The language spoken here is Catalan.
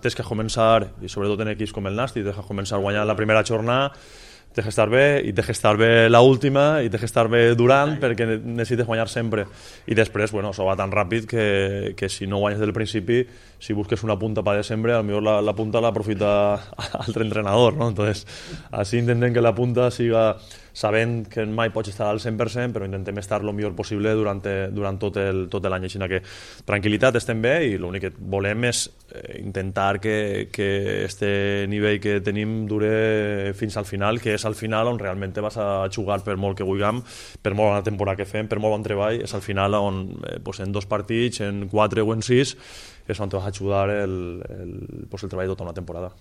Tens que començar, i sobretot en equips com el Nasti, tens que començar guanyant la primera jornada, tens que estar bé, i tens que estar bé l'última, i tens que estar bé durant, perquè necessites guanyar sempre. I després, bueno, això va tan ràpid que si no guanyes del principi, si busques una punta per desembre, potser la punta l'aprofita altre entrenador, ¿no? Entonces, així intentem que la punta siga sabent que mai pots estar al 100%, però intentem estar el millor possible durant tot l'any. Així que tranquil·litat, estem bé, i l'únic que volem és intentar que este nivell que tenim dure fins al final, que és al final on realment vas a jugar per molt que vulguem, per molt bona temporada que fem, per molt bon treball, és al final on en 2 partits, en 4 o en 6, és on te vas a ajudar el treball de tota una temporada.